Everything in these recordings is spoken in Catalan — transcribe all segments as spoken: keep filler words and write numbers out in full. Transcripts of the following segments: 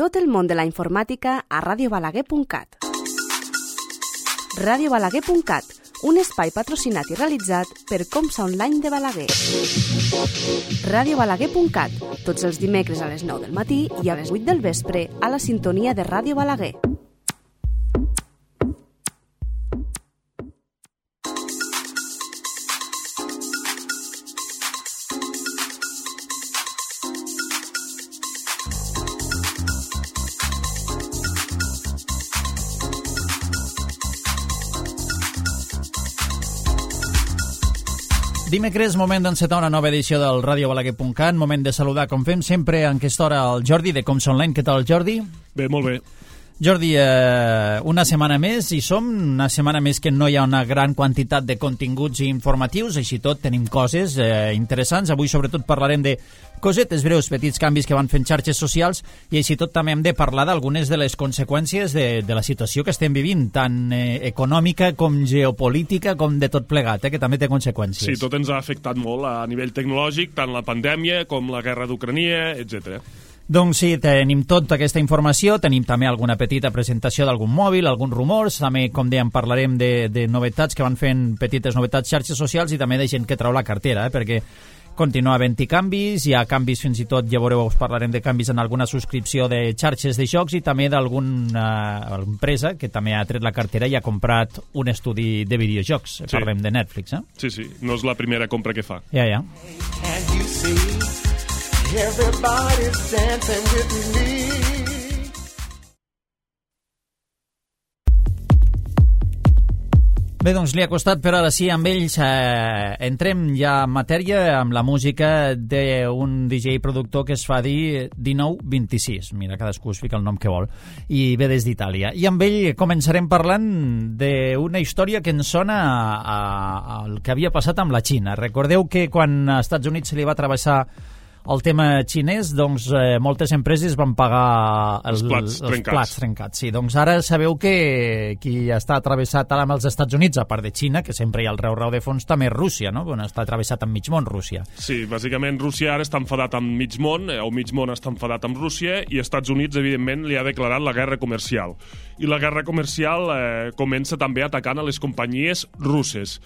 Tot el món de la informàtica a radio balaguer punt cat. radio balaguer punt cat, un espai patrocinat i realitzat per Comsa Online de Balaguer. radio balaguer punt cat, tots els dimecres a les nou del matí i a les vuit del vespre a la sintonia de Ràdio Balaguer. Dimecres, moment d'encetar una nova edició del radio balaguer punt cat, moment de saludar, com fem sempre, en aquesta hora, el Jordi de Comsa Online. Què tal, Jordi? Bé, molt bé. Jordi, eh, una setmana més i som, una setmana més que no hi ha una gran quantitat de continguts informatius, així tot tenim coses eh, interessants. Avui sobretot parlarem de cosetes breus, petits canvis que van fent xarxes socials i així tot també hem de parlar d'algunes de les conseqüències de, de la situació que estem vivint, tant eh, econòmica com geopolítica com de tot plegat, eh, que també té conseqüències. Sí, tot ens ha afectat molt a nivell tecnològic, tant la pandèmia com la guerra d'Ucrania, etcètera. Doncs sí, tenim tota aquesta informació, tenim també alguna petita presentació d'algun mòbil, alguns rumors, també, com dèiem, parlarem de, de novetats que van fent petites novetats xarxes socials i també de gent que trau la cartera, eh, perquè continua havent-hi canvis, hi ha canvis fins i tot, ja veureu, us parlarem de canvis en alguna subscripció de xarxes de jocs i també d'alguna uh, empresa que també ha tret la cartera i ha comprat un estudi de videojocs, sí. Parlem de Netflix, eh? Sí, sí, no és la primera compra que fa. Ja, ja. Everybody's dancing with me. Bé, doncs li ha costat, però ara sí, amb ells eh, entrem ja en matèria amb la música d'un D J productor que es fa dir dinou vint-i-sis. Mira, cadascú es fica el nom que vol. I ve des d'Itàlia. I amb ell començarem parlant d'una història que ens sona al que havia passat amb la Xina. Recordeu que quan als Estats Units se li va travessar el tema xinès, doncs eh, moltes empreses van pagar el, els plats els trencats. plats trencats. Sí, doncs ara sabeu que qui està atravessat ara amb els Estats Units, a part de Xina, que sempre hi ha el reu-reu de fons, també és Rússia, no? Bueno, està atravessat amb mig món, Rússia. Sí, bàsicament Rússia ara està enfadat amb mig món, o mig món està enfadat amb Rússia, i Estats Units, evidentment, li ha declarat la guerra comercial. I la guerra comercial eh, comença també atacant a les companyies russes.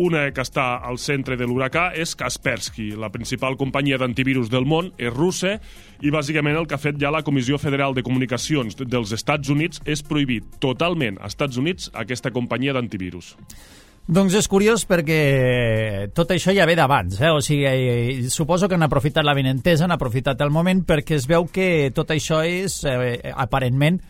Una que està al centre de l'huracà és Kaspersky, la principal companyia d'antivirus del món, és russa, i bàsicament el que ha fet ja la Comissió Federal de Comunicacions dels Estats Units és prohibir totalment als Estats Units aquesta companyia d'antivirus. Doncs és curiós perquè tot això ja ve d'abans, eh? O sigui, suposo que han aprofitat la benentesa, han aprofitat el moment, perquè es veu que tot això és, eh, aparentment,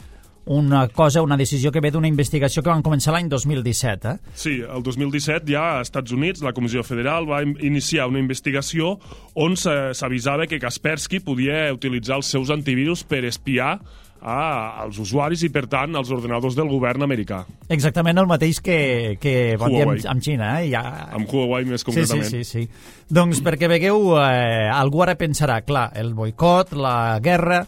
una cosa, una decisió que ve d'una investigació que van començar l'any dos mil disset, eh? Sí, el dos mil disset ja als Estats Units la Comissió Federal va iniciar una investigació on s'avisava que Kaspersky podia utilitzar els seus antivirus per espiar a, als usuaris i, per tant, als ordenadors del govern americà. Exactament el mateix que, que van dir amb, amb Xina, eh? Ja... Amb Huawei, més concretament. Sí, sí, sí, sí. Doncs perquè vegueu, eh, algú ara pensarà, clar, el boicot, la guerra...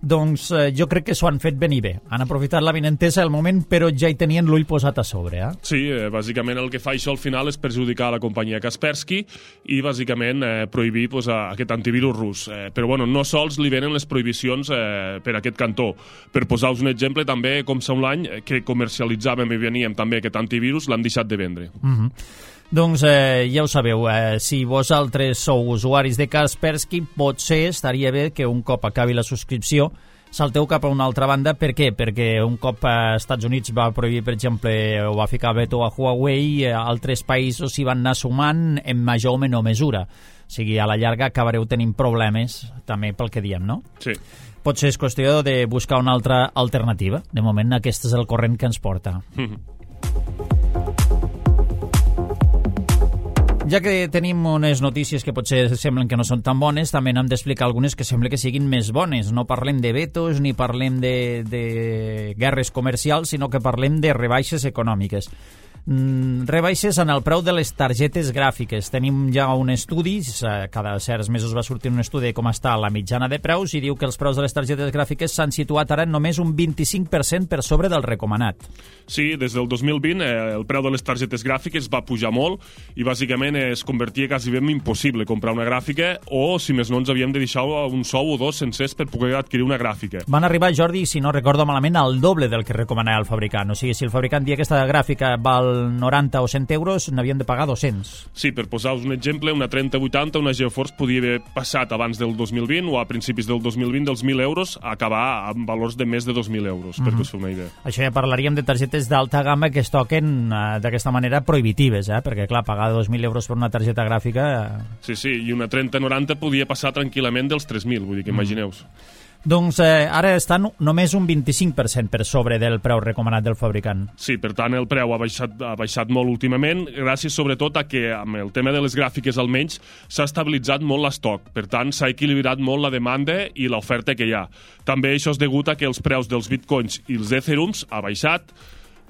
Doncs eh, jo crec que s'ho han fet ben i bé. Han aprofitat la benentesa del moment, però ja hi tenien l'ull posat a sobre, eh? Sí, eh, bàsicament el que fa això al final és perjudicar la companyia Kaspersky i bàsicament eh, prohibir pues, aquest antivirus rus. Eh, però bueno, no sols li venen les prohibicions eh, per aquest cantó. Per posar-vos un exemple, també Comsa Online, que comercialitzàvem i veníem també aquest antivirus, l'han deixat de vendre. Mhm. Doncs eh, ja ho sabeu, eh, si vosaltres sou usuaris de Kaspersky, potser estaria bé que un cop acabi la subscripció salteu cap a una altra banda. Per què? Perquè un cop als Estats Units va prohibir, per exemple, o va ficar veto a Huawei, eh, altres països s'hi van anar sumant en major o menor mesura. O sigui, a la llarga acabareu tenint problemes, també pel que diem, no? Sí. Potser és qüestió de buscar una altra alternativa. De moment, aquest és el corrent que ens porta. Ja que tenim unes notícies que potser semblen que no són tan bones, també n'hem d'explicar algunes que sembla que siguin més bones. No parlem de vetos ni parlem de, de guerres comercials, sinó que parlem de rebaixes econòmiques. Mm, rebaixes en el preu de les targetes gràfiques. Tenim ja un estudi, cada certs mesos va sortir un estudi de com està la mitjana de preus i diu que els preus de les targetes gràfiques s'han situat ara només un vint-i-cinc per cent per sobre del recomanat. Sí, des del dos mil vint eh, el preu de les targetes gràfiques va pujar molt i bàsicament es convertia quasi ben impossible comprar una gràfica o, si més no, ens havíem de deixar un sou o dos sencers per poder adquirir una gràfica. Van arribar, Jordi, si no recordo malament, al doble del que recomanava el fabricant. O sigui, si el fabricant dia que aquesta gràfica val noranta o cent euros, n'havien de pagar dos-cents. Sí, per posar-vos un exemple, una trenta vuitanta, una GeForce podia haver passat abans del dos mil vint o a principis del dos mil vint dels mil euros a acabar amb valors de més de dos mil euros, mm-hmm. perquè us feu una idea. Això ja parlaríem de targetes d'alta gamma que es toquen uh, d'aquesta manera prohibitives, eh? Perquè, clar, pagar dos mil euros per una targeta gràfica... Sí, sí, i una trenta noranta podia passar tranquil·lament dels tres mil, vull dir que mm. imagineu-vos. Doncs eh, ara estan només un vint-i-cinc per cent per sobre del preu recomanat del fabricant. Sí, per tant el preu ha baixat, ha baixat molt últimament, gràcies sobretot a que amb el tema de les gràfiques almenys s'ha estabilitzat molt l'estoc, per tant s'ha equilibrat molt la demanda i l'oferta que hi ha. També això és degut a que els preus dels bitcoins i els etherums ha baixat,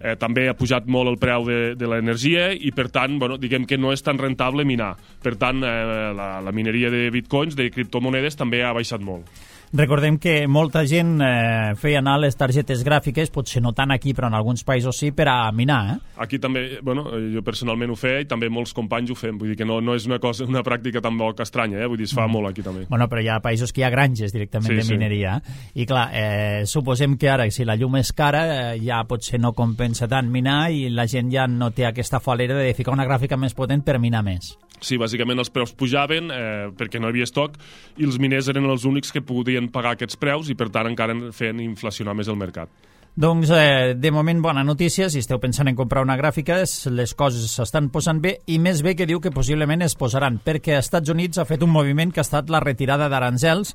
eh, també ha pujat molt el preu de, de l'energia i per tant, bueno, diguem que no és tan rentable minar. Per tant, eh, la, la mineria de bitcoins, de criptomonedes, també ha baixat molt. Recordem que molta gent eh, feia anar les targetes gràfiques, potser no tant aquí, però en alguns països sí, per a minar. Eh? Aquí també, bueno, jo personalment ho feia i també molts companys ho fem, vull dir que no, no és una cosa, una pràctica tan poc estranya, eh? Vull dir, es fa mm. molt aquí també. Bueno, però hi ha països que hi ha granges directament sí, de mineria, sí. I clar, eh, suposem que ara, si la llum és cara, eh, ja potser no compensa tant minar i la gent ja no té aquesta falera de ficar una gràfica més potent per minar més. Sí, bàsicament els preus pujaven eh, perquè no hi havia estoc i els miners eren els únics que podien pagar aquests preus i per tant encara feien inflacionar més el mercat. Doncs eh, de moment bona notícia, si esteu pensant en comprar una gràfica les coses s'estan posant bé i més bé que diu que possiblement es posaran perquè als Estats Units ha fet un moviment que ha estat la retirada d'aranzels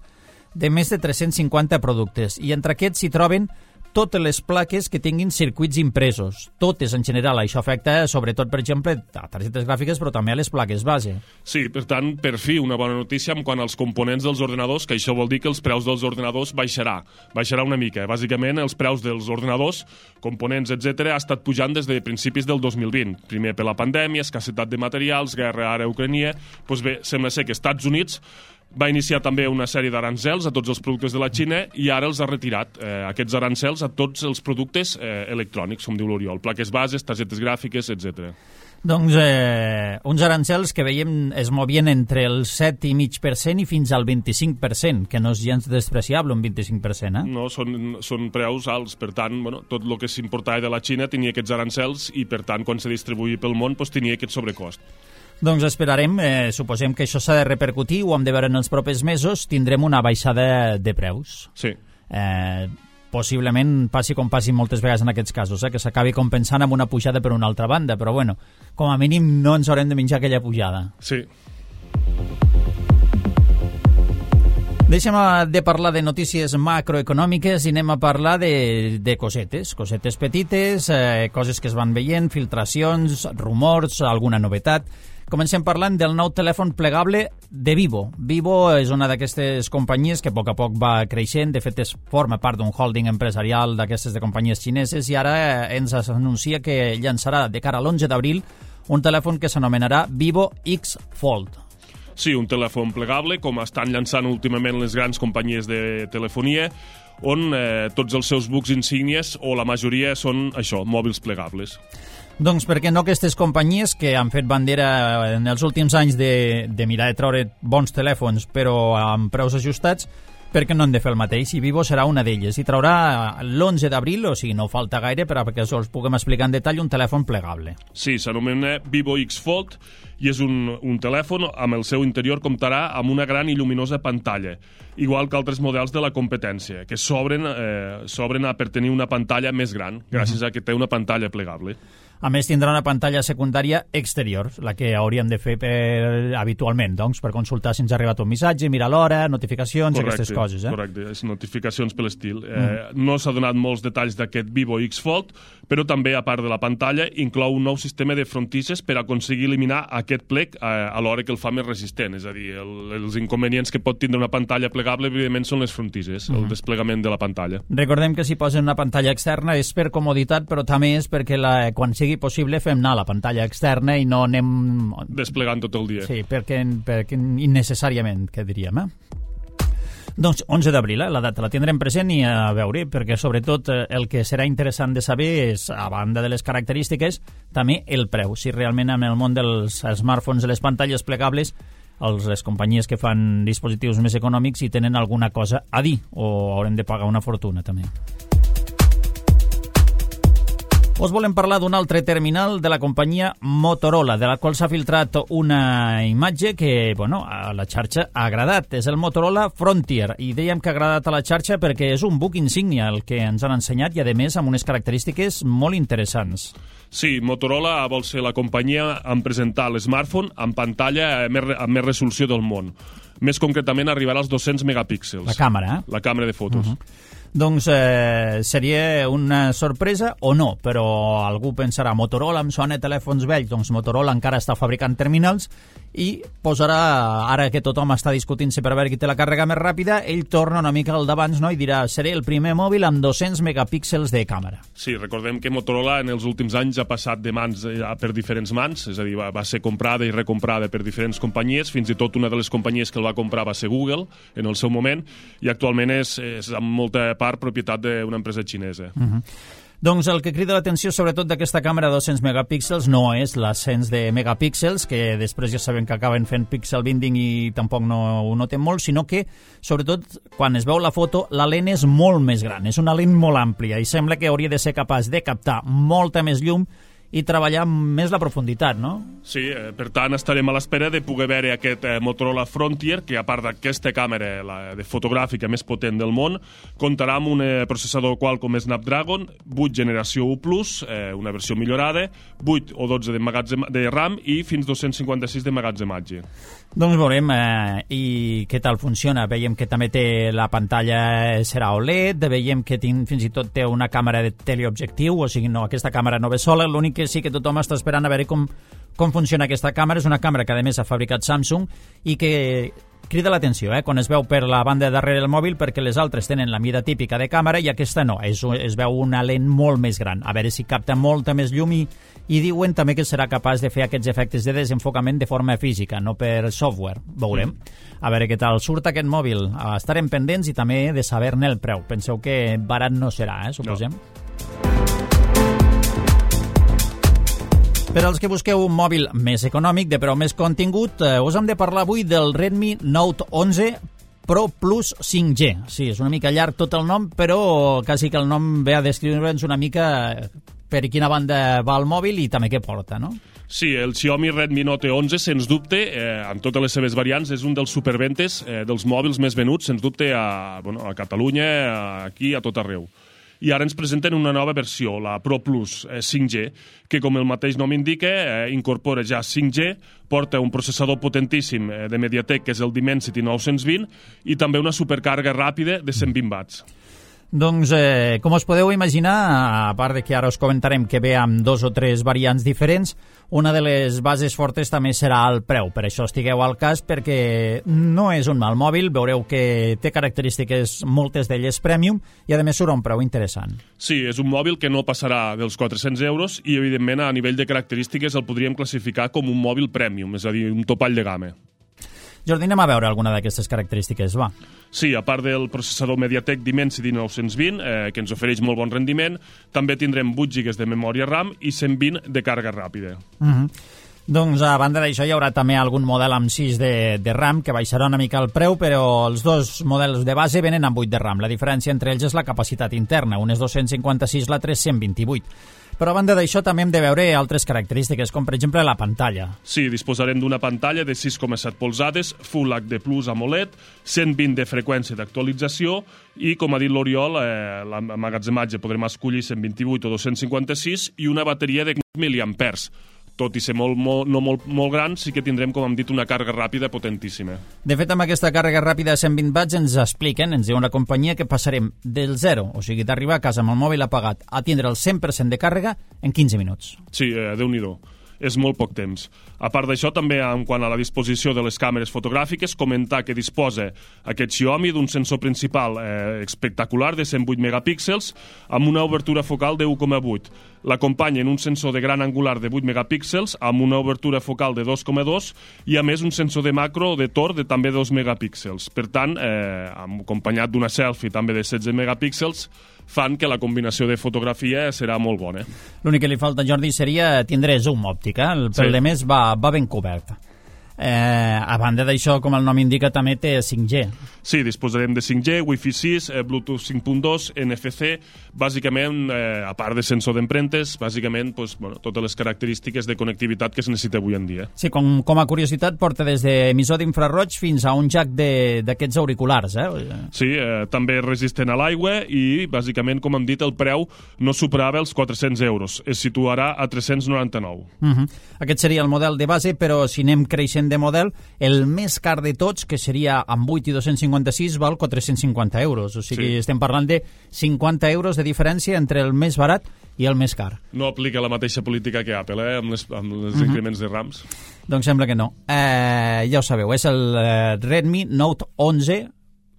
de més de tres-cents cinquanta productes i entre aquests s'hi troben totes les plaques que tinguin circuits impresos. Totes, en general. Això afecta, sobretot, per exemple, a targetes gràfiques, però també a les plaques base. Sí, per tant, per fi, una bona notícia en quant als components dels ordenadors, que això vol dir que els preus dels ordenadors baixarà. Baixarà una mica. Bàsicament, els preus dels ordenadors, components, etcètera, ha estat pujant des de principis del dos mil vint. Primer per la pandèmia, escassetat de materials, guerra ara a Ucrània... Doncs bé, sembla ser que Estats Units va iniciar també una sèrie d'aranzels a tots els productes de la Xina i ara els ha retirat, eh, aquests arancels, a tots els productes eh, electrònics, com diu l'Oriol, plaques bases, targetes gràfiques, etcètera. Doncs eh, uns arancels que veiem es movien entre el set i mig per cent i fins al vint-i-cinc per cent, que no és gens despreciable, un vint-i-cinc per cent, eh? No, són, són preus alts, per tant, bueno, tot el que s'importava de la Xina tenia aquests arancels i, per tant, quan se distribuïa pel món, doncs, tenia aquest sobrecost. Doncs esperarem, eh, suposem que això s'ha de repercutir, ho hem de veure en els propers mesos, tindrem una baixada de preus. Sí. Eh, possiblement passi com passi moltes vegades en aquests casos, eh, que s'acabi compensant amb una pujada per una altra banda, però bueno, com a mínim no ens haurem de menjar aquella pujada. Sí. Deixem de parlar de notícies macroeconòmiques i anem a parlar de, de cosetes, cosetes petites, eh, coses que es van veient, filtracions, rumors, alguna novetat. Comencem parlant del nou telèfon plegable de Vivo. Vivo és una d'aquestes companyies que a poc a poc va creixent, de fet es forma part d'un holding empresarial d'aquestes de companyies xineses i ara ens anuncia que llançarà de cara a l'onze d'abril un telèfon que s'anomenarà Vivo X Fold. Sí, un telèfon plegable, com estan llançant últimament les grans companyies de telefonia, on eh, tots els seus bucs insígnies, o la majoria, són això, mòbils plegables. Doncs per què no aquestes companyies que han fet bandera en els últims anys de, de mirar de treure bons telèfons però amb preus ajustats, per què no han de fer el mateix? I Vivo serà una d'elles i traurà l'onze d'abril, o sigui, no falta gaire per a que us puguem explicar en detall un telèfon plegable. Sí, s'anomena Vivo X Fold i és un, un telèfon amb el seu interior comptarà amb una gran i lluminosa pantalla, igual que altres models de la competència, que s'obren eh, s'obren per tenir una pantalla més gran, gràcies a que té una pantalla plegable. A més, tindrà una pantalla secundària exterior, la que hauríem de fer per, habitualment, doncs, per consultar si ens ha arribat un missatge, mirar l'hora, notificacions, correcte, aquestes coses. Eh? Correcte, és notificacions per l'estil. Mm. Eh, no s'ha donat molts detalls d'aquest Vivo X Fold, però també, a part de la pantalla, inclou un nou sistema de frontisses per aconseguir eliminar aquest plec eh, a l'hora que el fa més resistent. És a dir, el, els inconvenients que pot tindre una pantalla plegable, evidentment, són les frontisses, mm. el desplegament de la pantalla. Recordem que si posen una pantalla externa és per comoditat, però també és perquè la, quan sigui sigui possible, fem anar la pantalla externa i no anem... Desplegant tot el dia. Sí, perquè, perquè innecessàriament, què diríem, eh? Doncs onze d'abril, eh? La data la tindrem present i a veure, perquè sobretot el que serà interessant de saber és, a banda de les característiques, també el preu. Si realment en el món dels smartphones i les pantalles plegables els, les companyies que fan dispositius més econòmics hi tenen alguna cosa a dir o haurem de pagar una fortuna també. Us volem parlar d'un altre terminal de la companyia Motorola, de la qual s'ha filtrat una imatge que, bueno, a la xarxa ha agradat. És el Motorola Frontier, i dèiem que ha agradat a la xarxa perquè és un buc insígnia el que ens han ensenyat i, a més, amb unes característiques molt interessants. Sí, Motorola vol ser la companyia en presentar l'smartphone amb pantalla amb més, amb més resolució del món. Més concretament, arribarà als dos-cents megapíxels. La càmera, eh? La càmera de fotos. Uh-huh. Doncs eh, seria una sorpresa o no, però algú pensarà, Motorola em sona telèfons vells, doncs Motorola encara està fabricant terminals i posarà, ara que tothom està discutint-se per veure qui té la càrrega més ràpida, ell torna una mica al d'abans, no?, i dirà, seré el primer mòbil amb dos-cents megapíxels de càmera. Sí, recordem que Motorola en els últims anys ha passat de mans per diferents mans, és a dir, va, va ser comprada i recomprada per diferents companyies, fins i tot una de les companyies que el va comprar va ser Google en el seu moment, i actualment és, és amb molta part propietat d'una empresa xinesa. Uh-huh. Doncs el que crida l'atenció sobretot d'aquesta càmera de dos-cents megapíxels no és l'ascens de megapíxels, que després ja sabem que acaben fent pixel binding i tampoc no ho notem molt, sinó que, sobretot, quan es veu la foto, la lent és molt més gran, és una lent molt àmplia i sembla que hauria de ser capaç de captar molta més llum i treballar més la profunditat, no? Sí, eh, per tant, estarem a l'espera de poder veure aquest eh, Motorola Frontier, que a part d'aquesta càmera la, de fotogràfica més potent del món, comptarà amb un eh, processador Qualcomm Snapdragon, vuit generació u plus, eh, una versió millorada, vuit o dotze de, magatzem, de RAM i fins dos-cents cinquanta-sis de magatzematge. Doncs veurem eh, i què tal funciona. Veiem que també té la pantalla serà O L E D, veiem que tin, fins i tot té una càmera de teleobjectiu, o sigui, no, aquesta càmera no ve sola, l'únic que sí que tothom està esperant a veure com, com funciona aquesta càmera. És una càmera que a més ha fabricat Samsung i que crida l'atenció, eh, quan es veu per la banda de darrere del mòbil, perquè les altres tenen la mida típica de càmera i aquesta no, es, es veu una lent molt més gran, a veure si capta molta més llum i, i diuen també que serà capaç de fer aquests efectes de desenfocament de forma física, no per software. Veurem. A veure què tal surt aquest mòbil. Estarem pendents i també de saber-ne el preu. Penseu que barat no serà, eh, suposem. No. Per als que busqueu un mòbil més econòmic, de preu més contingut, eh, us hem de parlar avui del Redmi Note onze Pro Plus cinc G. Sí, és una mica llarg tot el nom, però quasi que el nom ve a descriure'ns una mica per quina banda va el mòbil i també què porta, no? Sí, el Xiaomi Redmi Note onze, sens dubte, eh, amb totes les seves variants, és un dels superventes eh, dels mòbils més venuts, sens dubte, a, bueno, a Catalunya, aquí, a tot arreu. I ara ens presenten una nova versió, la Pro Plus eh, cinc G, que, com el mateix nom indica, eh, incorpora ja cinc G, porta un processador potentíssim eh, de MediaTek, que és el Dimensity nou-cents vint, i també una supercàrrega ràpida de cent vint watts. Doncs, eh, com us podeu imaginar, a part de que ara us comentarem que ve amb dos o tres variants diferents, una de les bases fortes també serà el preu. Per això estigueu al cas, perquè no és un mal mòbil, veureu que té característiques, moltes d'elles premium, i a més surt a un preu interessant. Sí, és un mòbil que no passarà dels quatre-cents euros i, evidentment, a nivell de característiques el podríem classificar com un mòbil premium, és a dir, un topall de gamma. Jordi, anem a veure alguna d'aquestes característiques, va. Sí, a part del processador MediaTek Dimensity nou-cents vint, eh, que ens ofereix molt bon rendiment, també tindrem vuit gigas de memòria RAM i cent vint de càrrega ràpida. Uh-huh. Doncs, a banda d'això, hi haurà també algun model amb sis de, de RAM, que baixarà una mica el preu, però els dos models de base venen amb vuit de RAM. La diferència entre ells és la capacitat interna, un és dos-cents cinquanta-sis, l'altre és cent vint-i-vuit. Però a banda d'això també hem de veure altres característiques, com per exemple la pantalla. Sí, disposarem d'una pantalla de sis coma set polzades, Full H D Plus AMOLED, cent vint de freqüència d'actualització i, com ha dit l'Oriol, eh, l'emmagatzematge podrem escollir cent vint-i-vuit o dos-cents cinquanta-sis i una bateria de miliampers. Tot i ser molt, molt, no molt, molt gran, sí que tindrem, com hem dit, una càrrega ràpida potentíssima. De fet, amb aquesta càrrega ràpida de cent vint watts ens expliquen, ens diu una companyia, que passarem del zero, o sigui, d'arribar a casa amb el mòbil apagat, a tindre el cent per cent de càrrega en quinze minuts. Sí, eh, Déu-n'hi-do. és molt poc temps. A part d'això, també en quant a la disposició de les càmeres fotogràfiques, comentar que disposa aquest Xiaomi d'un sensor principal eh, espectacular de cent vuit megapíxels amb una obertura focal de u coma vuit. L'acompanyen un sensor de gran angular de vuit megapíxels amb una obertura focal de dos coma dos i a més un sensor de macro o de tor de també dos megapíxels. Per tant, eh, acompanyat d'una selfie també de setze megapíxels, fan que la combinació de fotografia serà molt bona. L'únic que li falta, Jordi, seria tindre zoom òptic, eh? El pel Sí. de més va, va ben cobert. Eh, a banda d'això, com el nom indica, també té cinc G. Sí, disposarem de cinc G, Wi-Fi sis, eh, Bluetooth cinc punt dos, N F C, bàsicament, eh, a part de sensor d'empremtes, bàsicament pues, bueno, totes les característiques de connectivitat que es necessita avui en dia. Sí, com, com a curiositat, porta des d'emissor d'infraroig fins a un jack d'aquests auriculars, eh? Sí, eh, també resistent a l'aigua i, bàsicament, com hem dit, el preu no superava els quatre-cents euros. Es situarà a tres-cents noranta-nou. Uh -huh. Aquest seria el model de base, però si anem creixent de model, el més car de tots, que seria amb vuit i dos-cents cinquanta-sis, val quatre-cents cinquanta euros. O sigui, Sí. estem parlant de cinquanta euros de diferència entre el més barat i el més car. No aplica la mateixa política que Apple, eh, amb, les, amb els uh-huh. increments de rams. Doncs sembla que no. Eh, ja ho sabeu, és el eh, Redmi Note onze,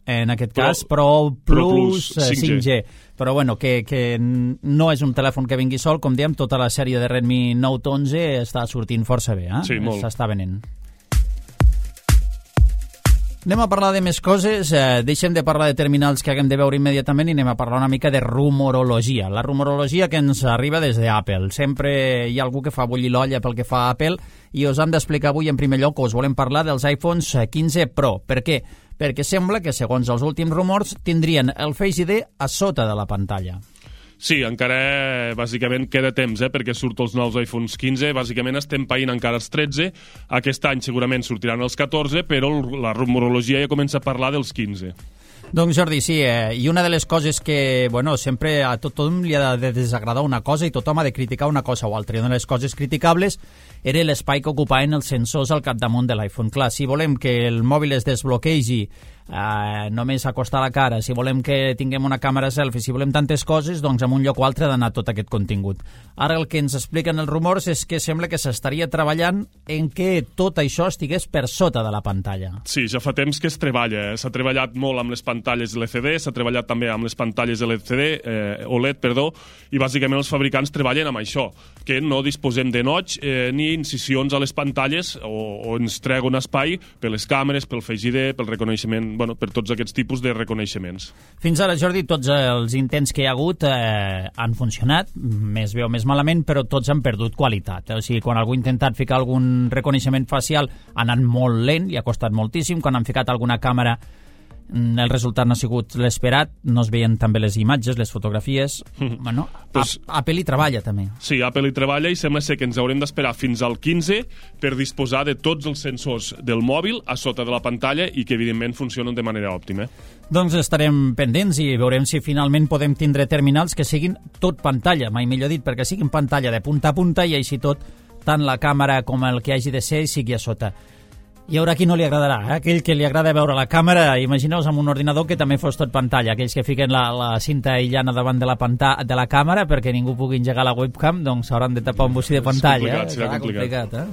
en aquest Pro, cas, Pro Plus, Pro Plus eh, cinc G. cinc G. Però bueno, que, que no és un telèfon que vingui sol, com diem, tota la sèrie de Redmi Note onze està sortint força bé, eh? Sí, molt. S'està venent. Anem a parlar de més coses, eh, deixem de parlar de terminals que haguem de veure immediatament i anem a parlar una mica de rumorologia. La rumorologia que ens arriba des d'Apple. Sempre hi ha algú que fa bullir l'olla pel que fa a Apple i us hem d'explicar avui en primer lloc que us volem parlar dels iPhones quinze Pro. Per què? Perquè sembla que, segons els últims rumors, tindrien el Face I D a sota de la pantalla. Sí, encara bàsicament queda temps, eh, perquè surten els nous iPhones quinze, bàsicament estem païnt encara els tretze, aquest any segurament sortiran els catorze, però la rumorologia ja comença a parlar dels quinze. Doncs Jordi, sí, eh, i una de les coses que, bueno, sempre a tothom li ha de desagradar una cosa i tothom ha de criticar una cosa o altra, i una de les coses criticables era l'espai que ocupaven els sensors al capdamunt de l'iPhone. Clar, si volem que el mòbil es desbloquegi eh, només acostar la cara, si volem que tinguem una càmera selfie, si volem tantes coses, doncs en un lloc o altre ha d'anar tot aquest contingut. Ara el que ens expliquen els rumors és que sembla que s'estaria treballant en que tot això estigués per sota de la pantalla. Sí, ja fa temps que es treballa. S'ha treballat molt amb les pantalles L C D, s'ha treballat també amb les pantalles L C D, eh, O L E D, perdó, i bàsicament els fabricants treballen amb això, que no disposem de notch eh, ni incisions a les pantalles o, o ens treguen espai per les càmeres, pel Face I D, pel reconeixement, bueno, per tots aquests tipus de reconeixements. Fins ara, Jordi, tots els intents que hi ha hagut eh, han funcionat, més bé o més malament, però tots han perdut qualitat. O sigui, quan algú ha intentat ficar algun reconeixement facial ha anat molt lent i ha costat moltíssim. Quan han ficat alguna càmera el resultat no ha sigut l'esperat, no es veien també les imatges, les fotografies. Bueno, pues, Apple hi treballa també. Sí, Apple hi treballa i sembla ser que ens haurem d'esperar fins al quinze per disposar de tots els sensors del mòbil a sota de la pantalla i que evidentment funcionen de manera òptima. Doncs estarem pendents i veurem si finalment podem tindre terminals que siguin tot pantalla, mai millor dit, perquè siguin pantalla de punta a punta i així tot, tant la càmera com el que hagi de ser sigui a sota. Hi haurà qui no li agradarà, eh? Aquell que li agrada veure la càmera, imagineu-vos amb un ordinador que també fos tot pantalla, aquells que fiquen la, la cinta aïllana davant de la, panta, de la càmera perquè ningú pugui engegar la webcam, doncs hauran de tapar un bocí de pantalla. És complicat, eh? serà complicat. complicat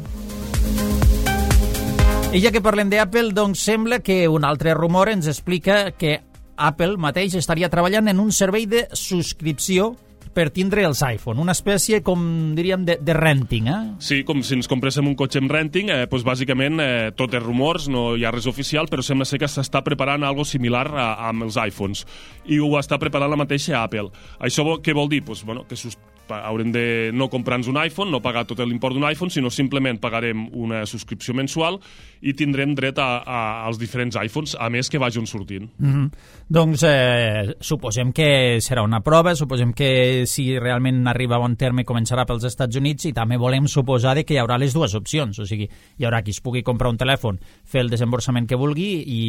eh? I ja que parlem d'Apple, doncs sembla que un altre rumor ens explica que Apple mateix estaria treballant en un servei de subscripció per tindre els iPhone, una espècie, com diríem, de, de renting, eh? Sí, com si ens compréssim un cotxe amb renting, eh, doncs bàsicament eh, tot és rumors, no hi ha res oficial, però sembla ser que s'està preparant algo similar a, amb els iPhones, i ho està preparant la mateixa Apple. Això què vol dir? Pues, bueno, que sus, haurem de no comprar-nos un iPhone, no pagar tot l'import d'un iPhone, sinó simplement pagarem una subscripció mensual i tindrem dret a, a, als diferents iPhones, a més que vagin sortint. Mm-hmm. Doncs eh, suposem que serà una prova, suposem que si realment arriba a bon terme començarà pels Estats Units i també volem suposar que hi haurà les dues opcions, o sigui, hi haurà qui es pugui comprar un telèfon, fer el desemborsament que vulgui i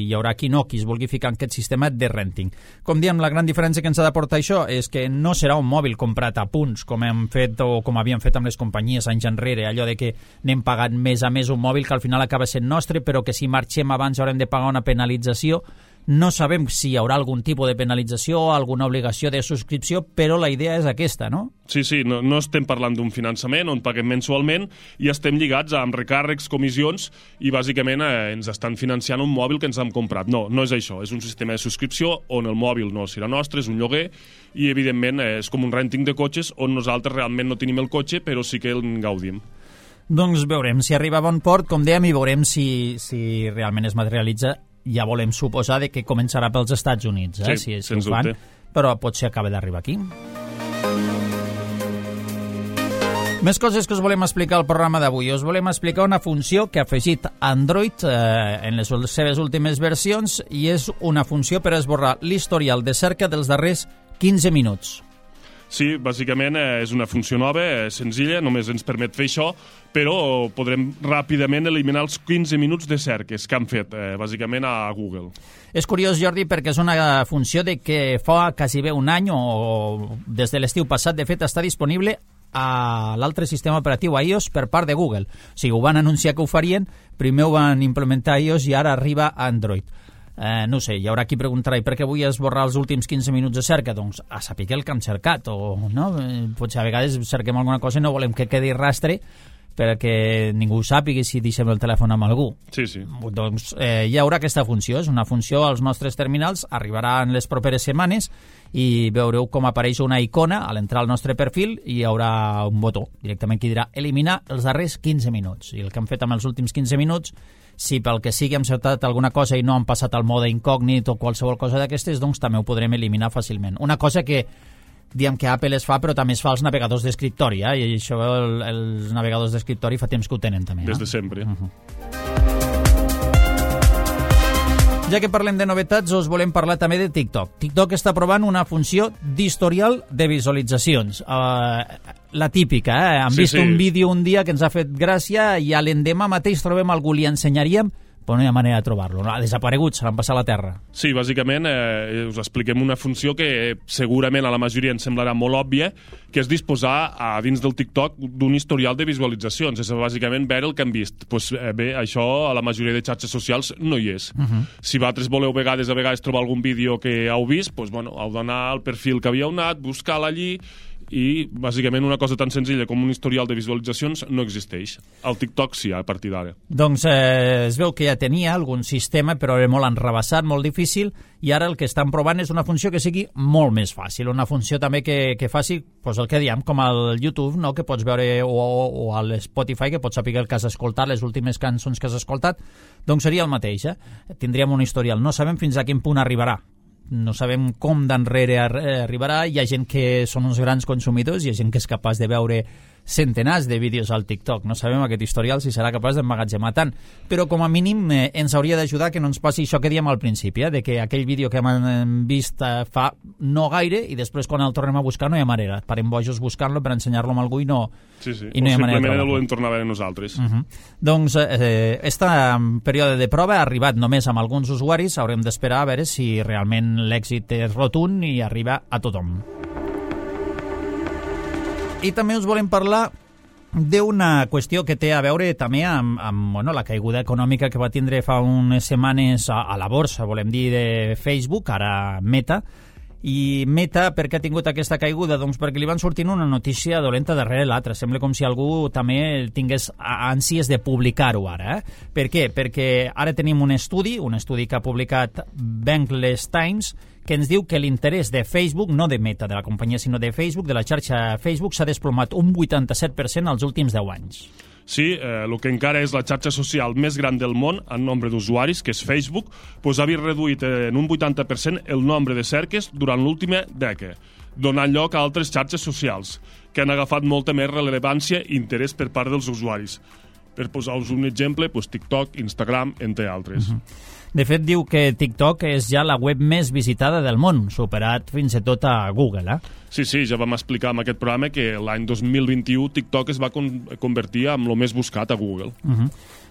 hi haurà qui no, qui es vulgui ficar en aquest sistema de renting. Com diem, la gran diferència que ens ha d'aportar això és que no serà un mòbil comprat a punts, com hem fet o com havíem fet amb les companyies anys enrere, allò de que anem pagant mes a mes un mòbil que al final acaba sent nostre, però que si marxem abans haurem de pagar una penalització No sabem si hi haurà algun tipus de penalització, alguna obligació de subscripció, però la idea és aquesta, no? Sí, sí, no, no estem parlant d'un finançament on paguem mensualment i estem lligats amb recàrrecs, comissions i bàsicament eh, ens estan financiant un mòbil que ens hem comprat. No, no és això, és un sistema de subscripció on el mòbil no serà nostre, és un lloguer i evidentment eh, és com un renting de cotxes on nosaltres realment no tenim el cotxe però sí que en gaudim. Doncs veurem si arriba a bon port, com dèiem, i veurem si, si realment es materialitza. Ja volem suposar de que començarà pels Estats Units, eh? Sí, si, si sens ho fan, dubte. Però potser acaba d'arribar aquí. Més coses que us volem explicar al programa d'avui. Us volem explicar una funció que ha afegit Android eh, en les seves últimes versions i és una funció per esborrar l'historial de cerca dels darrers quinze minuts. Sí, bàsicament eh, és una funció nova, eh, senzilla, només ens permet fer això, però podrem ràpidament eliminar els quinze minuts de cerques que han fet, eh, bàsicament, a Google. És curiós, Jordi, perquè és una funció de que fa quasi bé un any o des de l'estiu passat, de fet, està disponible a l'altre sistema operatiu iOS per part de Google. O sigui, ho van anunciar que ho farien, primer ho van implementar a iOS i ara arriba a Android. Eh, no sé, hi haurà qui preguntarà per què vull esborrar els últims quinze minuts de cerca? Doncs a saber el que han cercat, o no? Eh, potser a vegades cerquem alguna cosa i no volem que quedi rastre perquè ningú sàpiga si deixem el telèfon amb algú. Sí, sí. Doncs eh, hi haurà aquesta funció, és una funció als nostres terminals, arribarà en les properes setmanes i veureu com apareix una icona a l'entrar al nostre perfil i hi haurà un botó directament que dirà eliminar els darrers quinze minuts. I el que hem fet amb els últims quinze minuts, si pel que sigui hem cercat alguna cosa i no han passat al mode incògnit o qualsevol cosa d'aquestes, doncs també ho podrem eliminar fàcilment. Una cosa que diem que Apple es fa, però també es fa als navegadors d'escriptori, eh? I això el, els navegadors d'escriptori fa temps que ho tenen també. Eh? Des de sempre. Uh-huh. Ja que parlem de novetats, us volem parlar també de TikTok. TikTok està provant una funció d'historial de visualitzacions. Uh, la típica, eh? Hem sí, vist sí. un vídeo un dia que ens ha fet gràcia i a l'endemà mateix trobem algú, li ensenyaríem, però no hi ha manera de trobar-lo. No? Ha desaparegut, se l'han passat a la terra. Sí, bàsicament eh, us expliquem una funció que eh, segurament a la majoria ens semblarà molt òbvia, que és disposar a dins del TikTok d'un historial de visualitzacions. És bàsicament veure el que hem vist. Pues, eh, bé, això a la majoria de xarxes socials no hi és. Uh -huh. Si vosaltres voleu vegades a vegades trobar algun vídeo que heu vist, pues, bueno, heu d'anar al perfil que havíeu anat, buscar-lo allí, i bàsicament una cosa tan senzilla com un historial de visualitzacions no existeix. Al TikTok sí, a partir d'ara. Doncs eh, es veu que ja tenia algun sistema, però era molt enrebaçat, molt difícil, i ara el que estan provant és una funció que sigui molt més fàcil, una funció també que, que faci pues, el que diem, com al YouTube, no? Que pots veure, o, o a l'Spotify, que pots saber el que has escoltat, les últimes cançons que has escoltat, doncs seria el mateix, eh? Tindríem un historial. No sabem fins a quin punt arribarà. No sabem com d'enrere arribarà. Hi ha gent que són uns grans consumidors, hi ha gent que és capaç de veure centenars de vídeos al TikTok. No sabem aquest historial si serà capaç d'emmagatzemar tant, però com a mínim eh, ens hauria d'ajudar que no ens passi això que diem al principi, eh, de que aquell vídeo que hem vist eh, fa no gaire i després quan el tornem a buscar no hi ha manera. Parem bojos buscant-lo per ensenyar-lo a algú i no, sí, sí. i no hi ha manera de trobar-lo. O simplement ho hem tornat a veure nosaltres. Uh -huh. Doncs eh, este període de prova ha arribat només amb alguns usuaris, haurem d'esperar a veure si realment l'èxit és rotund i arriba a tothom. I també us volem parlar d'una qüestió que té a veure també amb, amb bueno, la caiguda econòmica que va tindre fa unes setmanes a, a la borsa, volem dir, de Facebook, ara Meta. I Meta, per què ha tingut aquesta caiguda? Doncs perquè li van sortint una notícia dolenta darrere l'altra. Sembla com si algú també tingués ànsies de publicar-ho ara. Eh? Per què? Perquè ara tenim un estudi, un estudi que ha publicat Bankless Times, que ens diu que l'interès de Facebook, no de Meta, de la companyia, sinó de Facebook, de la xarxa Facebook, s'ha desplomat un vuitanta-set per cent als últims deu anys. Sí, eh, el que encara és la xarxa social més gran del món en nombre d'usuaris, que és Facebook, doncs ha vist reduït en un vuitanta per cent el nombre de cerques durant l'última dècada, donant lloc a altres xarxes socials, que han agafat molta més rellevància i interès per part dels usuaris. Per posar-vos un exemple, doncs TikTok, Instagram, entre altres. Uh-huh. De fet, diu que TikTok és ja la web més visitada del món, superat fins i tot a Google, eh? Sí, sí, ja vam explicar en aquest programa que l'any dos mil vint-i-u TikTok es va con convertir en el més buscat a Google. Uh-huh.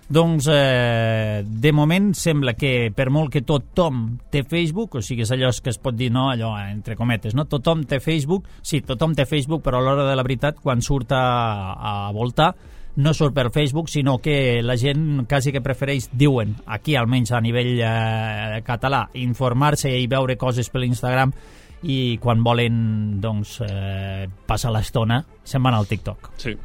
Doncs, eh, de moment, sembla que per molt que tothom té Facebook, o sigui, és allò que es pot dir, no, allò, entre cometes, no? Tothom té Facebook, sí, tothom té Facebook, però a l'hora de la veritat, quan surt a, a voltar, no surt per Facebook, sinó que la gent quasi que prefereix, diuen, aquí almenys a nivell eh, català, informar-se i veure coses per l'Instagram, i quan volen doncs, eh, passar l'estona se'n van al TikTok. Sí.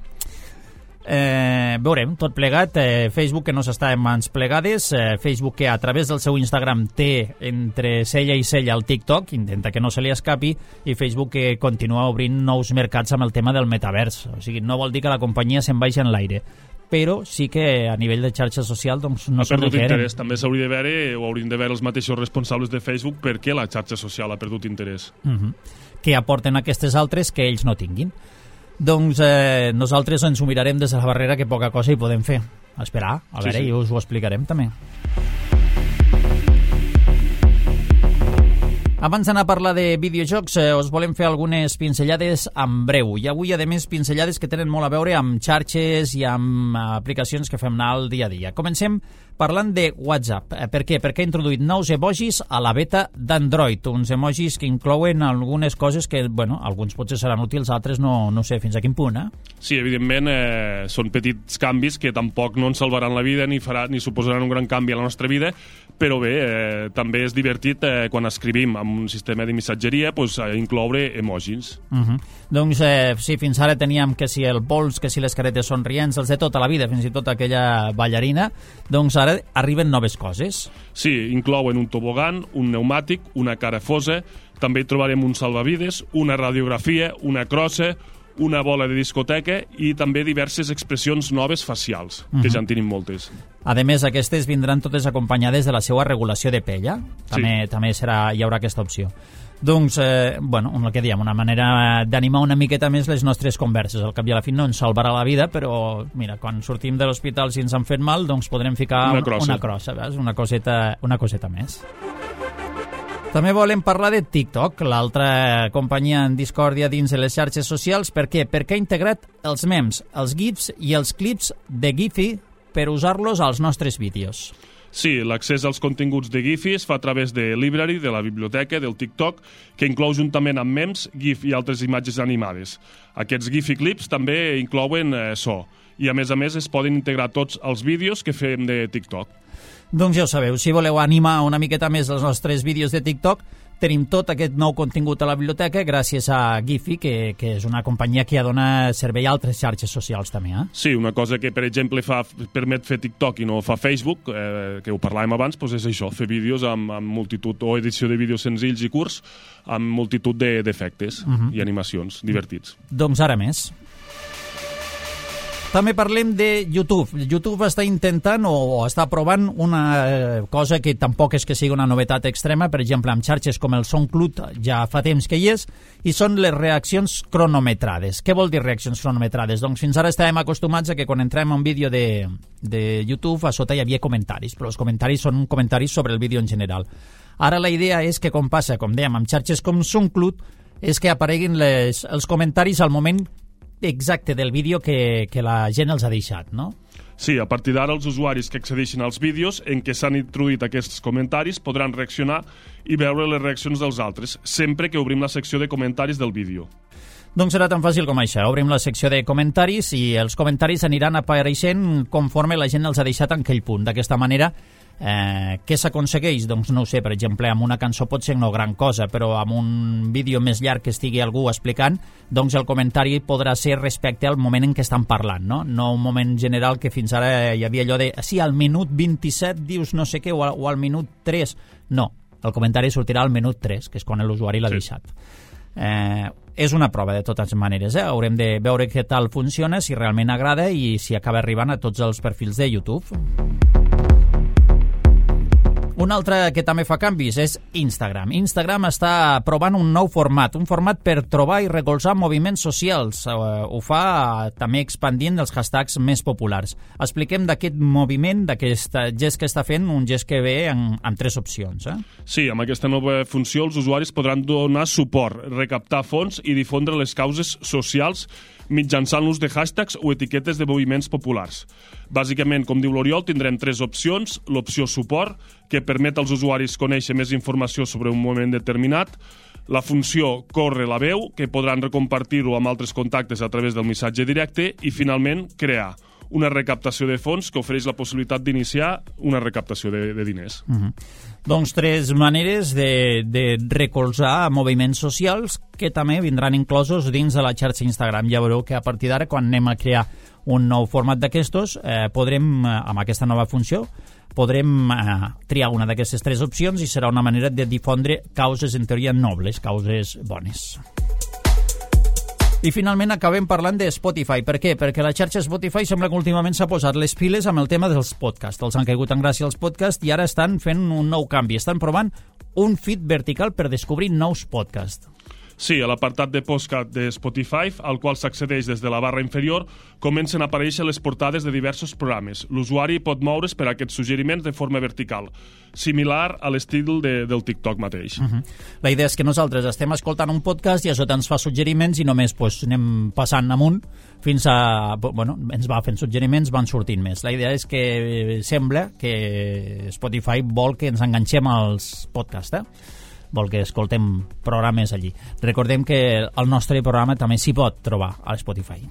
Eh, veurem, tot plegat, eh, Facebook que no s'està en mans plegades, eh, Facebook que a través del seu Instagram té entre cella i cella el TikTok, intenta que no se li escapi, i Facebook que continua obrint nous mercats amb el tema del metavers. O sigui, no vol dir que la companyia se'n vagi en l'aire, però sí que a nivell de xarxa social doncs, no ha perdut requeren. interès. També s'hauria de veure, o haurien de veure els mateixos responsables de Facebook, per què la xarxa social ha perdut interès. Uh-huh. Que aporten aquestes altres que ells no tinguin. Doncs eh, nosaltres ens ho mirarem des de la barrera, que poca cosa hi podem fer. A esperar, a sí, veure, sí. i us ho explicarem també. Abans d'anar a parlar de videojocs, eh, us volem fer algunes pinzellades en breu. I avui, a més, pinzellades que tenen molt a veure amb xarxes i amb aplicacions que fem anar al dia a dia. Comencem parlant de WhatsApp. Eh, per què? Perquè ha introduït nous emojis a la beta d'Android, uns emojis que inclouen algunes coses que, bueno, alguns potser seran útils, altres no, no sé fins a quin punt, eh? Sí, evidentment, eh, són petits canvis que tampoc no ens salvaran la vida ni, farà, ni suposaran un gran canvi a la nostra vida, però bé, eh, també és divertit eh, quan escrivim amb un sistema de missatgeria pues, eh, incloure emojis. Uh -huh. Doncs eh, sí, fins ara teníem que si el pols, que si les caretes somrients, els de tota la vida, fins i tot aquella ballarina, doncs ara arriben noves coses. Sí, inclouen un tobogan, un pneumàtic, una cara fosa, també hi trobarem un salvavides, una radiografia, una crossa, una bola de discoteca i també diverses expressions noves facials, que uh-huh. ja en tenim moltes. A més, aquestes vindran totes acompanyades de la seva regulació de pell, eh? També, sí. també serà, hi haurà aquesta opció. Doncs, eh, bueno, el que diem, una manera d'animar una miqueta més les nostres converses. Al cap i a la fi no ens salvarà la vida, però, mira, quan sortim de l'hospital si ens han fet mal, doncs podrem ficar una crossa, una, crossa, veus? Una coseta, una coseta més. També volem parlar de TikTok, l'altra companyia en discòrdia dins de les xarxes socials. Per què? Perquè ha integrat els memes, els gifs i els clips de Giphy per usar-los als nostres vídeos. Sí, l'accés als continguts de Giphy es fa a través de Library, de la biblioteca, del TikTok, que inclou juntament amb memes, GIF i altres imatges animades. Aquests Giphy clips també inclouen eh, so, i a més a més es poden integrar tots els vídeos que fem de TikTok. Doncs ja ho sabeu, si voleu animar una miqueta més els nostres vídeos de TikTok, tenim tot aquest nou contingut a la biblioteca gràcies a Giphy, que, que és una companyia que ja dona servei a altres xarxes socials també. Eh? Sí, una cosa que, per exemple, fa, permet fer TikTok i no fa Facebook, eh, que ho parlàvem abans, doncs és això, fer vídeos amb, amb multitud, o edició de vídeos senzills i curts, amb multitud d'efectes de, uh-huh. i animacions divertits. Doncs ara més. També parlem de YouTube. YouTube està intentant o està provant una cosa que tampoc és que sigui una novetat extrema, per exemple, amb xarxes com el SoundCloud ja fa temps que hi és, i són les reaccions cronometrades. Què vol dir reaccions cronometrades? Doncs fins ara estàvem acostumats a que quan entrem a un vídeo de, de YouTube a sota hi havia comentaris, però els comentaris són comentaris sobre el vídeo en general. Ara la idea és que, com passa, com dèiem, amb xarxes com SoundCloud, és que apareguin les, els comentaris al moment exacte del vídeo que, que la gent els ha deixat, no? Sí, a partir d'ara els usuaris que accedeixin als vídeos en què s'han introduït aquests comentaris podran reaccionar i veure les reaccions dels altres, sempre que obrim la secció de comentaris del vídeo. Doncs serà tan fàcil com això. Obrim la secció de comentaris i els comentaris aniran apareixent conforme la gent els ha deixat en aquell punt. D'aquesta manera, Eh, què s'aconsegueix? Doncs no ho sé, per exemple, amb una cançó pot ser no gran cosa, però amb un vídeo més llarg que estigui algú explicant, doncs el comentari podrà ser respecte al moment en què estan parlant, no? No un moment general que fins ara hi havia allò de sí, al minut vint-i-set dius no sé què, o al, o al minut tres. No, el comentari sortirà al minut tres, que és quan l'usuari l'ha sí. deixat. Eh, és una prova de totes maneres, eh? Haurem de veure què tal funciona, si realment agrada i si acaba arribant a tots els perfils de YouTube. Un altre que també fa canvis és Instagram. Instagram està provant un nou format, un format per trobar i recolzar moviments socials. Ho fa també expandint els hashtags més populars. Expliquem d'aquest moviment, d'aquest gest que està fent, un gest que ve en, en tres opcions. Eh? Sí, amb aquesta nova funció els usuaris podran donar suport, recaptar fons i difondre les causes socials mitjançant l'ús de hashtags o etiquetes de moviments populars. Bàsicament, com diu l'Oriol, tindrem tres opcions. L'opció suport, que permet als usuaris conèixer més informació sobre un moment determinat. La funció corre la veu, que podran recompartir-ho amb altres contactes a través del missatge directe. I, finalment, crear, una recaptació de fons que ofereix la possibilitat d'iniciar una recaptació de, de diners. Uh-huh. Doncs tres maneres de, de recolzar moviments socials que també vindran inclosos dins de la xarxa Instagram. Ja veureu que a partir d'ara, quan anem a crear un nou format d'aquestos, eh, podrem, amb aquesta nova funció, podrem eh, triar una d'aquestes tres opcions i serà una manera de difondre causes en teoria nobles, causes bones. I finalment acabem parlant de Spotify. Per què? Perquè la xarxa Spotify sembla que últimament s'ha posat les piles amb el tema dels podcasts. Els han caigut en gràcia els podcasts i ara estan fent un nou canvi. Estan provant un feed vertical per descobrir nous podcasts. Sí, a l'apartat de podcast de Spotify, al qual s'accedeix des de la barra inferior, comencen a aparèixer les portades de diversos programes. L'usuari pot moure's per a aquests suggeriments de forma vertical, similar a l'estil de, del TikTok mateix. Uh-huh. La idea és que nosaltres estem escoltant un podcast i això ens fa suggeriments i només pues, anem passant amunt fins a... Bueno, ens va fent suggeriments, van sortint més. La idea és que sembla que Spotify vol que ens enganxem als podcasts, eh? Vol que escoltem programes allí. Recordem que el nostre programa també s'hi pot trobar a Spotify.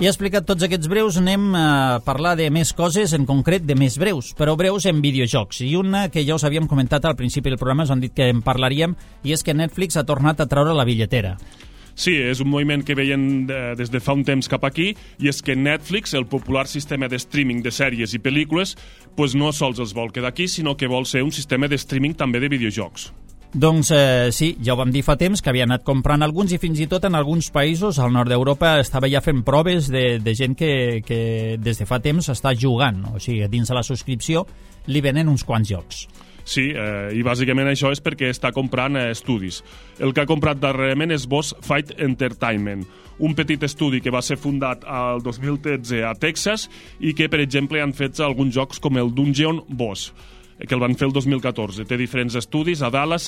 I explicat tots aquests breus, anem a parlar de més coses, en concret de més breus, però breus en videojocs. I una que ja us havíem comentat al principi del programa, us han dit que en parlaríem, i és que Netflix ha tornat a treure la billetera. Sí, és un moviment que veien de, des de fa un temps cap aquí, i és que Netflix, el popular sistema de streaming de sèries i pel·lícules, pues no sols els vol quedar aquí, sinó que vol ser un sistema de streaming també de videojocs. Doncs eh, sí, ja ho vam dir fa temps, que havia anat comprant alguns i fins i tot en alguns països, al nord d'Europa, estava ja fent proves de, de gent que, que des de fa temps està jugant, o sigui, dins de la subscripció li venen uns quants jocs. Sí, eh, i bàsicament això és perquè està comprant eh, estudis. El que ha comprat darrerament és Boss Fight Entertainment, un petit estudi que va ser fundat al dos mil tretze a Texas i que, per exemple, han fet alguns jocs com el Dungeon Boss, que el van fer el dos mil catorze. Té diferents estudis a Dallas,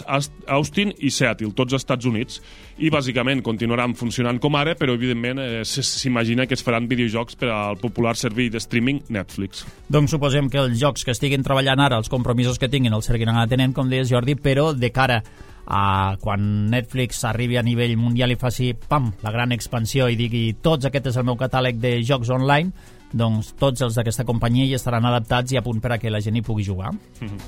Austin i Seattle, tots als Estats Units, i bàsicament continuaran funcionant com ara, però evidentment eh, s'imagina que es faran videojocs per al popular servei de streaming Netflix. Doncs suposem que els jocs que estiguin treballant ara, els compromisos que tinguin, els seguiran atenent, com deies Jordi, però de cara a quan Netflix arribi a nivell mundial i faci, pam, la gran expansió i digui tots aquest és el meu catàleg de jocs online, doncs tots els d'aquesta companyia hi estaran adaptats i a punt per a que la gent hi pugui jugar. Mm-hmm.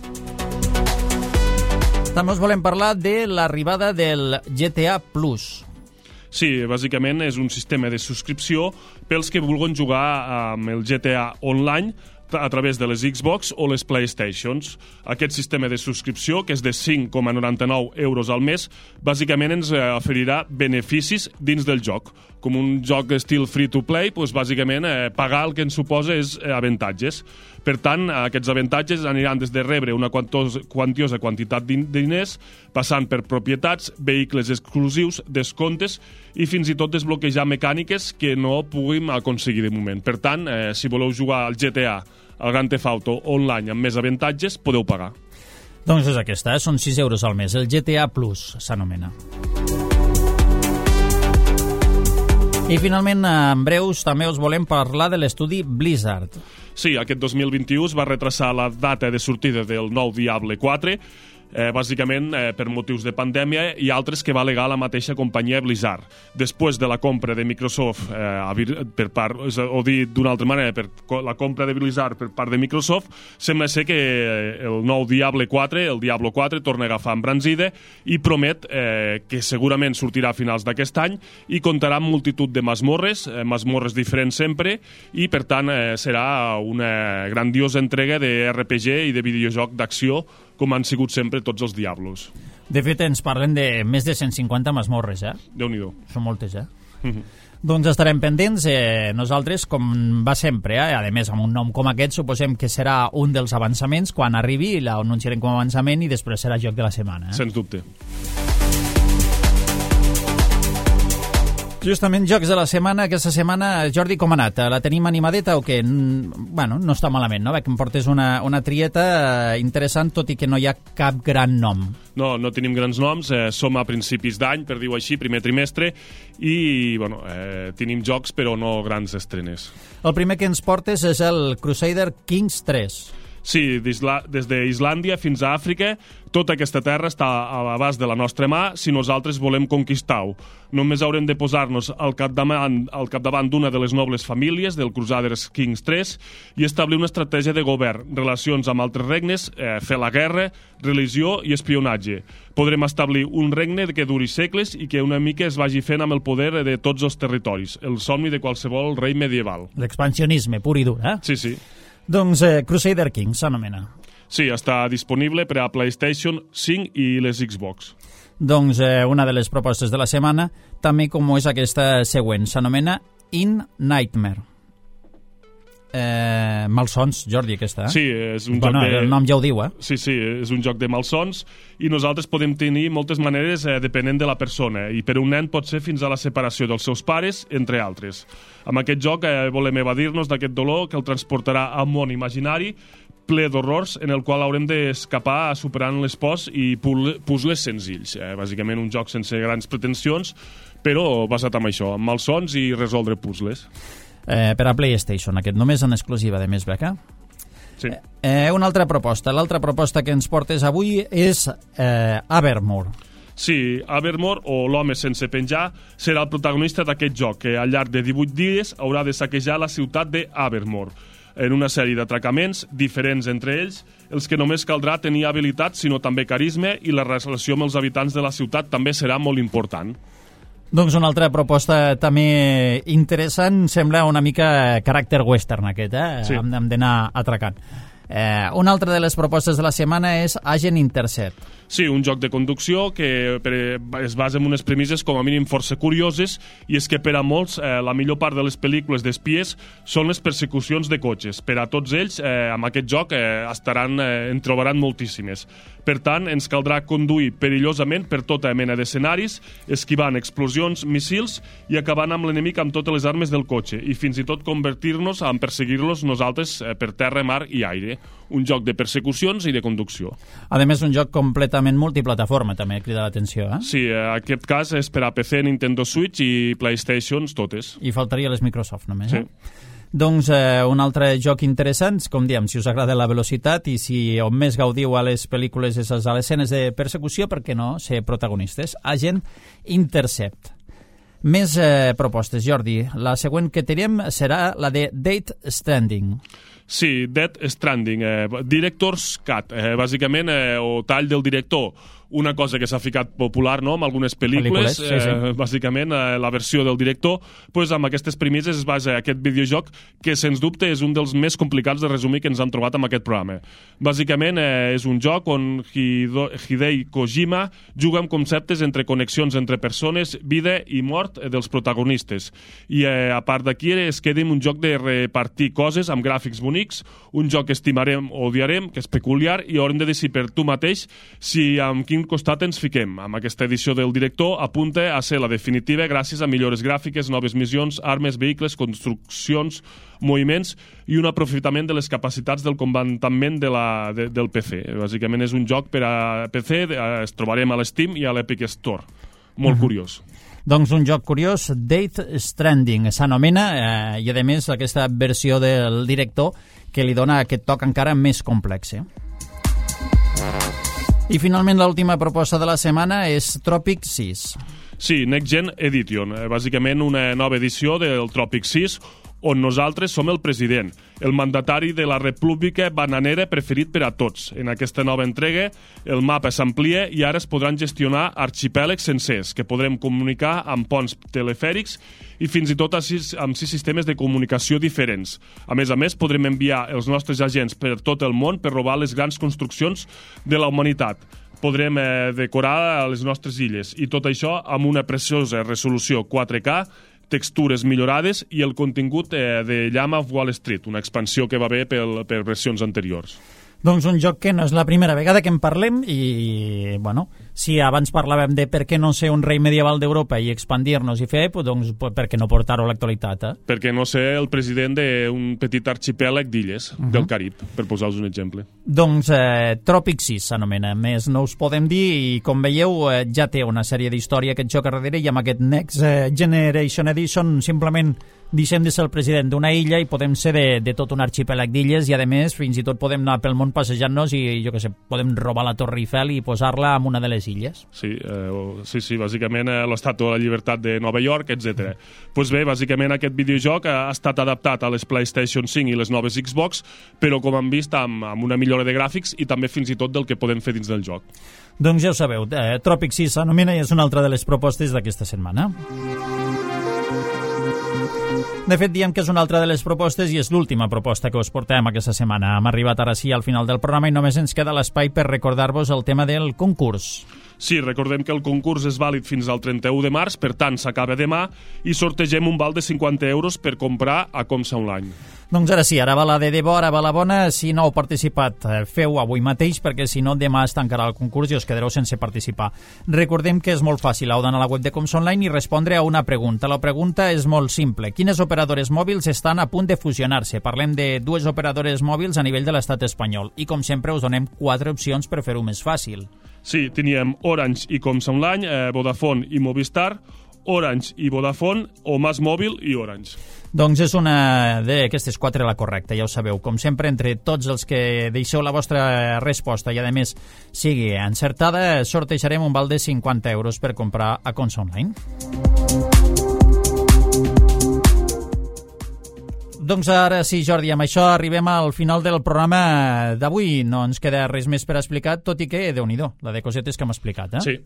També us volem parlar de l'arribada del G T A Plus. Sí, bàsicament és un sistema de subscripció pels que vulguin jugar amb el G T A online a través de les Xbox o les PlayStations. Aquest sistema de subscripció, que és de cinc coma noranta-nou euros al mes, bàsicament ens oferirà beneficis dins del joc. Com un joc estil free-to-play, doncs bàsicament eh, pagar el que ens suposa és eh, avantatges. Per tant, aquests avantatges aniran des de rebre una quantos, quantiosa quantitat de diners, passant per propietats, vehicles exclusius, descomptes i fins i tot desbloquejar mecàniques que no puguem aconseguir de moment. Per tant, eh, si voleu jugar al G T A, al Grand Theft Auto online amb més avantatges, podeu pagar. Doncs és aquesta, eh? Són sis euros al mes. El G T A Plus s'anomena. I finalment, en breus, també us volem parlar de l'estudi Blizzard. Sí, aquest dos mil vint-i-u es va retrasar la data de sortida del nou Diablo quatre, eh, bàsicament eh, per motius de pandèmia i altres que va alegar la mateixa companyia Blizzard. Després de la compra de Microsoft, eh, per part, o dit d'una altra manera, per la compra de Blizzard per part de Microsoft, sembla ser que el nou Diablo quatre, el Diablo quatre, torna a agafar embranzida i promet eh, que segurament sortirà a finals d'aquest any i comptarà amb multitud de masmorres, eh, masmorres diferents sempre, i per tant eh, serà una grandiosa entrega de R P G i de videojoc d'acció com han sigut sempre tots els Diablos. De fet, ens parlen de més de cent cinquanta masmorres, eh? Déu-n'hi-do. Són moltes, eh? Mm-hmm. Doncs estarem pendents, eh, nosaltres, com va sempre, eh? A més, amb un nom com aquest, suposem que serà un dels avançaments quan arribi, l'anunciarem com a avançament i després serà joc de la setmana. Eh? Sens dubte. Justament, jocs de la setmana. Aquesta setmana, Jordi, com ha anat? La tenim animadeta o què? Bueno, no està malament, no? Que em portes una, una trieta interessant, tot i que no hi ha cap gran nom. No, no tenim grans noms, eh, som a principis d'any, per dir-ho així, primer trimestre, i bueno, eh, tenim jocs però no grans estrenes. El primer que ens portes és el Crusader Kings tres. Sí, des d'Islàndia fins a Àfrica, tota aquesta terra està a l'abast de la nostra mà si nosaltres volem conquistar-ho. Només haurem de posar-nos al capdavant, al capdavant d'una de les nobles famílies del Crusaders Kings tres i establir una estratègia de govern, relacions amb altres regnes, eh, fer la guerra, religió i espionatge. Podrem establir un regne que duri segles i que una mica es vagi fent amb el poder de tots els territoris, el somni de qualsevol rei medieval. L'expansionisme pur i dur, eh? Sí, sí. Doncs eh, Crusader Kings s'anomena. Sí, està disponible per a PlayStation cinc i les Xbox. Doncs eh, una de les propostes de la setmana, també com és aquesta següent, s'anomena In Nightmare. Eh, malsons, Jordi, aquesta, eh? Sí, és un bueno, joc de... el nom ja ho diu, eh? Sí, sí, és un joc de malsons i nosaltres podem tenir moltes maneres eh, depenent de la persona i per un nen pot ser fins a la separació dels seus pares, entre altres. Amb aquest joc eh, volem evadir-nos d'aquest dolor que el transportarà a un món imaginari ple d'horrors en el qual haurem d'escapar superant les pors i puzzles senzills. Eh? Bàsicament un joc sense grans pretensions, però basat en això, amb malsons i resoldre puzzles. Eh, per a PlayStation, aquest només en exclusiva de Més Beca. Sí. Eh, una altra proposta. L'altra proposta que ens portes avui és eh, Abermore. Sí, Abermore, o l'home sense penjar, serà el protagonista d'aquest joc, que al llarg de divuit dies haurà de saquejar la ciutat d'Abermore, en una sèrie d'atracaments diferents entre ells, els que només caldrà tenir habilitat, sinó també carisma, i la relació amb els habitants de la ciutat també serà molt important. Doncs una altra proposta també interessant, sembla una mica caràcter western aquest, eh? Sí. Hem, hem d'anar atracant. Eh, una altra de les propostes de la setmana és Agent Intercept. Sí, un joc de conducció que per, es basa en unes premisses com a mínim força curioses, i és que per a molts eh, la millor part de les pel·lícules d'espies són les persecucions de cotxes. Per a tots ells, eh, amb aquest joc eh, estaran, eh, en trobaran moltíssimes. Per tant, ens caldrà conduir perillosament per tota mena d'escenaris, esquivant explosions, missils i acabant amb l'enemic amb totes les armes del cotxe, i fins i tot convertir-nos en perseguir-los nosaltres eh, per terra, mar i aire. Un joc de persecucions i de conducció. A més, un joc completament multiplataforma, també crida l'atenció, eh? Sí, en aquest cas és per a P C, Nintendo Switch i PlayStations, totes. I faltaria les Microsoft, només, sí. eh? Doncs eh, un altre joc interessant, com diem, si us agrada la velocitat i si on més gaudiu a les pel·lícules és a les escenes de persecució, per què no ser protagonistes? Agent Intercept. Més eh, propostes, Jordi. La següent que tenim serà la de Death Stranding. Sí, Death Stranding, eh, Director's Cut, eh, bàsicament, eh, o tall del director. Una cosa que s'ha ficat popular, no?, amb algunes pel·lícules, pel·lícules sí, sí. Eh, bàsicament eh, la versió del director, pues, amb aquestes premisses es basa aquest videojoc que, sens dubte, és un dels més complicats de resumir que ens han trobat amb aquest programa. Bàsicament eh, és un joc on Hido, Hideo Kojima juga amb conceptes entre connexions entre persones, vida i mort eh, dels protagonistes. I eh, a part d'aquí es queda un joc de repartir coses amb gràfics bonics, un joc que estimarem o odiarem, que és peculiar, i haurem de decidir per tu mateix si amb quin costat ens fiquem. Amb aquesta edició del director apunta a ser la definitiva gràcies a millores gràfiques, noves missions, armes, vehicles, construccions, moviments i un aprofitament de les capacitats del comandament de la, de, del P C. Bàsicament és un joc per a P C, es trobarem a l'Steam i a l'Epic Store. Molt uh-huh. curiós. Doncs un joc curiós, Death Stranding s'anomena, eh, i a més aquesta versió del director que li dona aquest toc encara més complex. Eh? I finalment l'última proposta de la setmana és Tropic sis. Sí, Next Gen Edition, bàsicament una nova edició del Tropic sis, on nosaltres som el president, el mandatari de la república bananera preferit per a tots. En aquesta nova entrega, el mapa s'amplia i ara es podran gestionar arxipèlegs sencers, que podrem comunicar amb ponts telefèrics i fins i tot amb sis sistemes de comunicació diferents. A més a més, podrem enviar els nostres agents per tot el món per robar les grans construccions de la humanitat. Podrem eh, decorar les nostres illes, i tot això amb una preciosa resolució quatre K, textures millorades i el contingut eh, de Llama of Wall Street, una expansió que va bé per, per versions anteriors. Doncs un joc que no és la primera vegada que en parlem i, bueno, si abans parlàvem de per què no ser un rei medieval d'Europa i expandir-nos i fer, doncs per què no portar-ho a l'actualitat, eh? Per què no ser el president d'un petit arxipèlag d'illes uh-huh. del Carib, per posar-vos un exemple. Doncs eh, Tropic sis s'anomena, més no us podem dir, i com veieu eh, ja té una sèrie d'història aquest joc a darrere, i amb aquest Next Generation Edition simplement deixem de ser el president d'una illa i podem ser de, de tot un arxipèlag d'illes i, a més, fins i tot podem anar pel món passejant-nos i, jo què sé, podem robar la Torre Eiffel i posar-la en una de les illes. Sí, eh, sí, sí, bàsicament eh, l'Estàtua de la Llibertat de Nova York, etcètera. Doncs pues bé, bàsicament aquest videojoc ha estat adaptat a les PlayStation cinc i les noves Xbox, però com han vist amb, amb una millora de gràfics i també fins i tot del que podem fer dins del joc. Doncs ja ho sabeu, eh, Tropic sis s'anomena i és una altra de les propostes d'aquesta setmana. De fet, diem que és una altra de les propostes i és l'última proposta que us portem aquesta setmana. Hem arribat ara sí al final del programa i només ens queda l'espai per recordar-vos el tema del concurs. Sí, recordem que el concurs és vàlid fins al trenta-u de març, per tant s'acaba demà i sortegem un val de cinquanta euros per comprar a Comsa Online. Doncs ara sí, ara va la de debò, ara va la bona. Si no heu participat, feu avui mateix, perquè si no demà es tancarà el concurs i us quedareu sense participar. Recordem que és molt fàcil, heu d'anar a la web de Comsa Online i respondre a una pregunta. La pregunta és molt simple. Quines operadores mòbils estan a punt de fusionar-se? Parlem de dues operadores mòbils a nivell de l'estat espanyol i, com sempre, us donem quatre opcions per fer-ho més fàcil. Sí, teníem Orange i Comsa Online, eh, Vodafone i Movistar, Orange i Vodafone o Mas Mòbil i Orange. Doncs és una d'aquestes quatre la correcta, ja ho sabeu. Com sempre, entre tots els que deixeu la vostra resposta i, a més, sigui encertada, sortejarem un val de cinquanta euros per comprar a Comsa Online. Doncs ara sí, Jordi, amb això arribem al final del programa d'avui. No ens queda res més per explicar, tot i que, Déu-n'hi-do, la de cosetes que hem explicat, eh? Sí.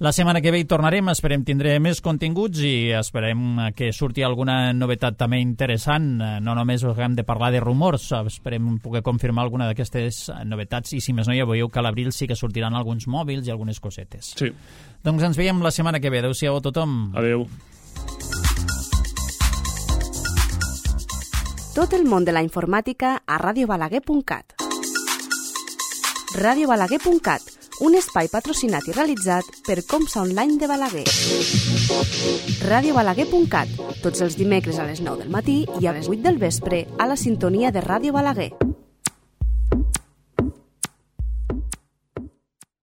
La setmana que ve hi tornarem, esperem tindré més continguts i esperem que surti alguna novetat també interessant. No només hem de parlar de rumors, esperem poder confirmar alguna d'aquestes novetats i, si més no, ja veieu que a l'abril sí que sortiran alguns mòbils i algunes cosetes. Sí. Doncs ens veiem la setmana que ve. Adéu-siau a tothom. Adéu. Tot el món de la informàtica a ràdio balaguer punt cat. ràdio balaguer punt cat, un espai patrocinat i realitzat per Comsa Online de Balaguer. ràdio balaguer punt cat, tots els dimecres a les nou del matí i a les vuit del vespre a la sintonia de Ràdio Balaguer.